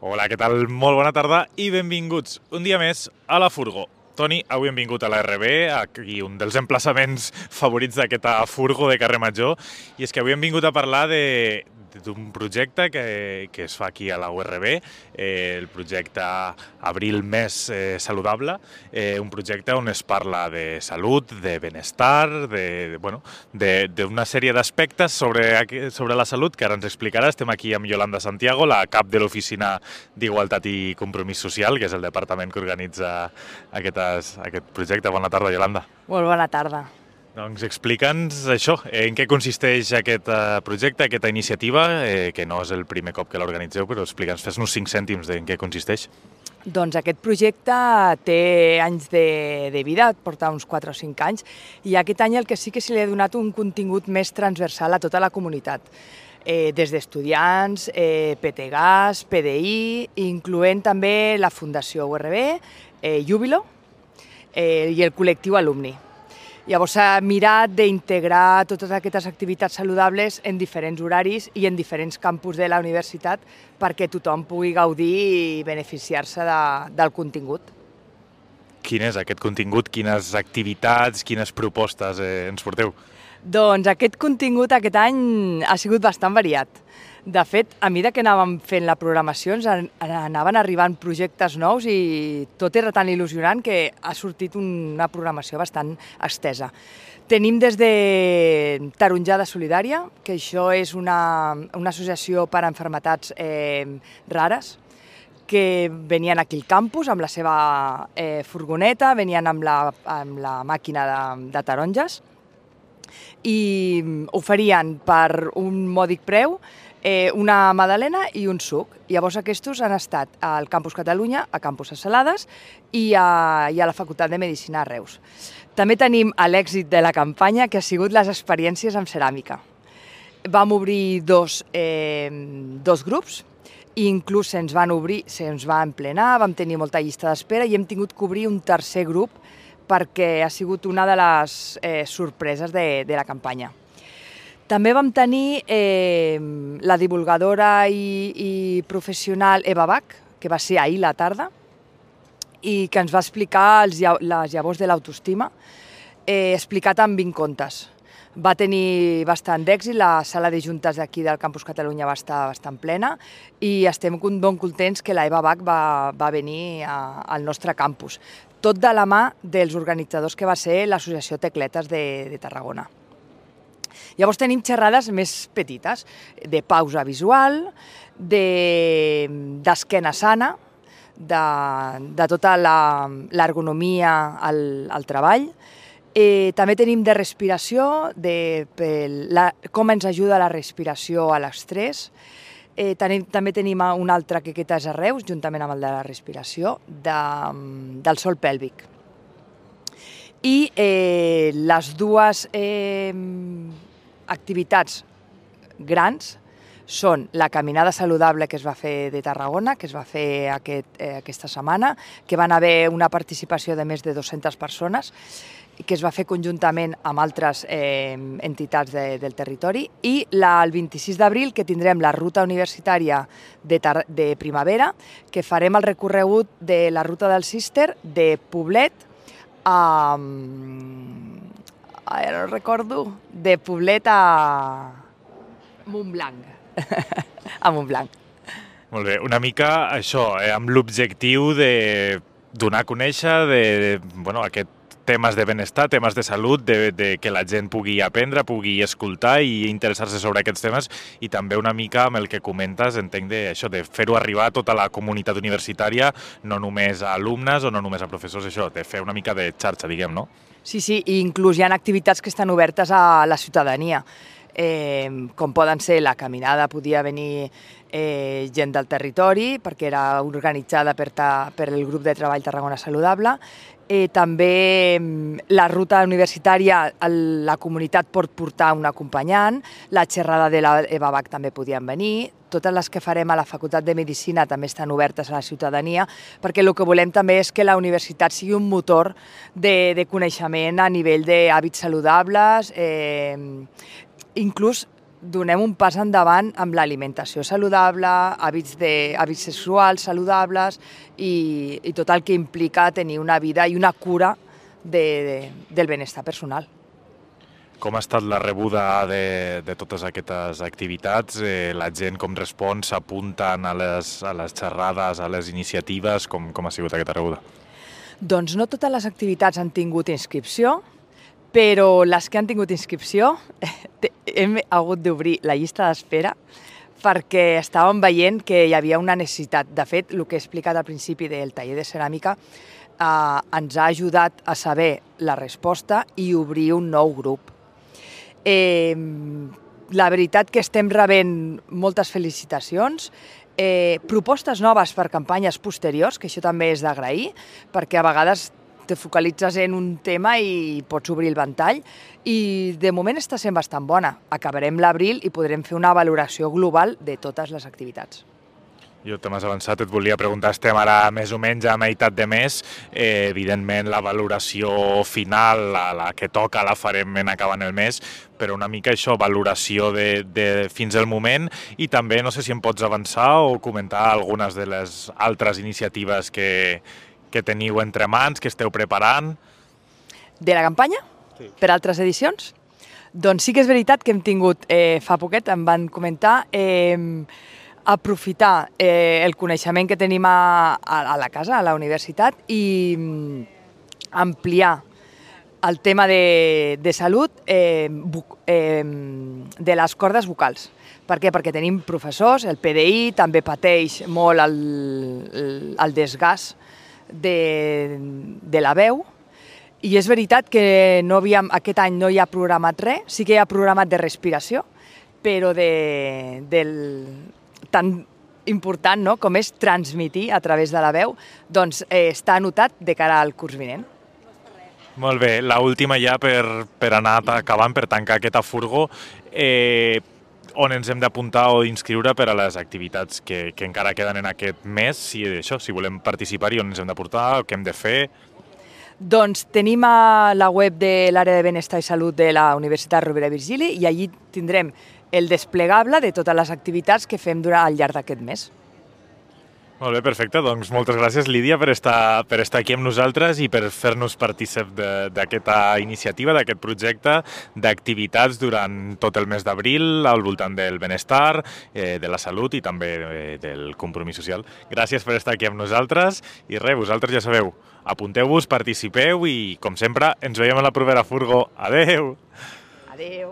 Hola, què tal? Molt bona tarda i benvinguts un dia més a la Furgo. Toni, avui hem vingut a la RB, aquí un dels emplaçaments favorits d'aquesta Furgo de carrer Major, i és que avui hem vingut a parlar d'un projecte que es fa aquí a la URB, el projecte Abril Més Saludable, un projecte on es parla de salut, de benestar, d'una sèrie d'aspectes sobre la salut que ara ens explicarà. Estem aquí amb Yolanda Santiago, la cap de l'Oficina d'Igualtat i Compromís Social, que és el departament que organitza aquest projecte. Bona tarda, Yolanda. Molt bona tarda. Doncs explica'ns això, en què consisteix aquest projecte, aquesta iniciativa, que no és el primer cop que l'organitzeu, però explica'ns, fes-nos 5 cèntims en què consisteix. Doncs aquest projecte té anys de vida, porta uns 4 o 5 anys, i aquest any el que sí que se li ha donat un contingut més transversal a tota la comunitat, des d'estudiants, PTGAS, PDI, incloent també la Fundació URB, Júbilo i el col·lectiu alumni. Llavors s'ha mirat d'integrar totes aquestes activitats saludables en diferents horaris i en diferents campus de la universitat perquè tothom pugui gaudir i beneficiar-se del contingut. Quin és aquest contingut? Quines activitats, quines propostes ens porteu? Doncs aquest contingut aquest any ha sigut bastant variat. De fet, a mesura que anàvem fent la programació ens anaven arribant projectes nous i tot era tan il·lusionant que ha sortit una programació bastant estesa. Tenim des de Taronjada Solidària, que això és una associació per a malalties rares, que venien aquí al campus amb la seva furgoneta, venien amb la màquina de taronges i oferien per un mòdic preu una magdalena i un suc. Llavors aquests han estat al Campus Catalunya, a Campus Salades i a la Facultat de Medicina a Reus. També tenim l'èxit de la campanya, que ha sigut les experiències amb ceràmica. Vam obrir dos grups, i inclús se'ns va emplenar, vam tenir molta llista d'espera i hem tingut que obrir un tercer grup perquè ha sigut una de les sorpreses de la campanya. També vam tenir la divulgadora i professional Eva Bach, que va ser ahir a la tarda, i que ens va explicar les llavors de l'autoestima, explicat en 20 contes. Va tenir bastant d'èxit, la sala de juntes d'aquí del Campus Catalunya va estar bastant plena i estem ben contents que la Eva Bach va venir al nostre campus. Tot de la mà dels organitzadors que va ser l'Associació Tecletes de Tarragona. Llavors tenim xerrades més petites, de pausa visual, d'esquena sana, de tota l'ergonomia al treball. També tenim de respiració, com ens ajuda la respiració a l'estrès. També tenim un altre que és a Reus, juntament amb el de la respiració, del sòl pèlvic. I les dues activitats grans són la caminada saludable que es va fer de Tarragona, que es va fer aquesta setmana, que van haver una participació de més de 200 persones, que es va fer conjuntament amb altres entitats del territori, i el 26 d'abril, que tindrem la ruta universitària de primavera, que farem el recorregut de la ruta del Cister de Poblet a... ara no recordo, de Poblet a Montblanc. A Montblanc. Molt bé, una mica això, amb l'objectiu de donar a conèixer aquest temes de benestar, temes de salut, de que la gent pugui aprendre, pugui escoltar i interessar-se sobre aquests temes, i també una mica amb el que comentes, entenc, de fer-ho arribar a tota la comunitat universitària, no només a alumnes o no només a professors, de fer una mica de xarxa, diguem, no? Sí, i inclús hi ha activitats que estan obertes a la ciutadania, com poden ser la caminada, podia venir gent del territori, perquè era organitzada per el grup de treball Tarragona Saludable. També la ruta universitària, la comunitat pot portar un acompanyant, la xerrada de l'Eva Bach també podien venir, totes les que farem a la Facultat de Medicina també estan obertes a la ciutadania, perquè el que volem també és que la universitat sigui un motor de coneixement a nivell d'hàbits saludables, inclús donem un pas endavant amb l'alimentació saludable, hàbits sexuals saludables i tot el que implica tenir una vida i una cura del benestar personal. Com ha estat la rebuda de totes aquestes activitats? La gent com respon? S'apunten a les xerrades, a les iniciatives? Com ha sigut aquesta rebuda? Doncs no totes les activitats han tingut inscripció, però les que han tingut inscripció hem hagut d'obrir la llista d'espera perquè estàvem veient que hi havia una necessitat. De fet, el que he explicat al principi del taller de ceràmica ens ha ajudat a saber la resposta i obrir un nou grup. La veritat que estem rebent moltes felicitacions, propostes noves per campanyes posteriors, que això també és d'agrair, perquè a vegades te focalitzes en un tema i pots obrir el ventall, i de moment està sent bastant bona. Acabarem l'abril i podrem fer una valoració global de totes les activitats. Jo te m'has avançat, et volia preguntar, estem ara més o menys a meitat de mes, evidentment la valoració final, la que toca, la farem en acabant el mes, però una mica això, valoració de fins al moment, i també no sé si em pots avançar o comentar algunes de les altres iniciatives que teniu entre mans, que esteu preparant. De la campanya? Sí. Per altres edicions? Doncs sí que és veritat que hem tingut, fa poquet em van comentar, aprofitar el coneixement que tenim a la casa, a la universitat, i ampliar el tema de salut de les cordes vocals. Per què? Perquè tenim professors, el PDI també pateix molt el desgast de la veu, i és veritat que aquest any no hi ha programat res, sí que hi ha programat de respiració, però tan important com és transmitir a través de la veu, doncs està anotat de cara al curs vinent. Molt bé, l'última ja per anar acabant, per tancar aquesta furgo, on ens hem d'apuntar o inscriure per a les activitats que encara queden en aquest mes, si volem participar-hi, on ens hem d'aportar, què hem de fer? Doncs tenim a la web de l'àrea de benestar i salut de la Universitat Rovira i Virgili, i allí tindrem el desplegable de totes les activitats que fem al llarg d'aquest mes. Molt bé, perfecte. Doncs moltes gràcies, Lídia, per estar aquí amb nosaltres i per fer-nos partícip d'aquesta iniciativa, d'aquest projecte d'activitats durant tot el mes d'abril al voltant del benestar, de la salut i també del compromís social. Gràcies per estar aquí amb nosaltres i res, vosaltres ja sabeu, apunteu-vos, participeu i, com sempre, ens veiem a la propera furgo. Adeu! Adeu!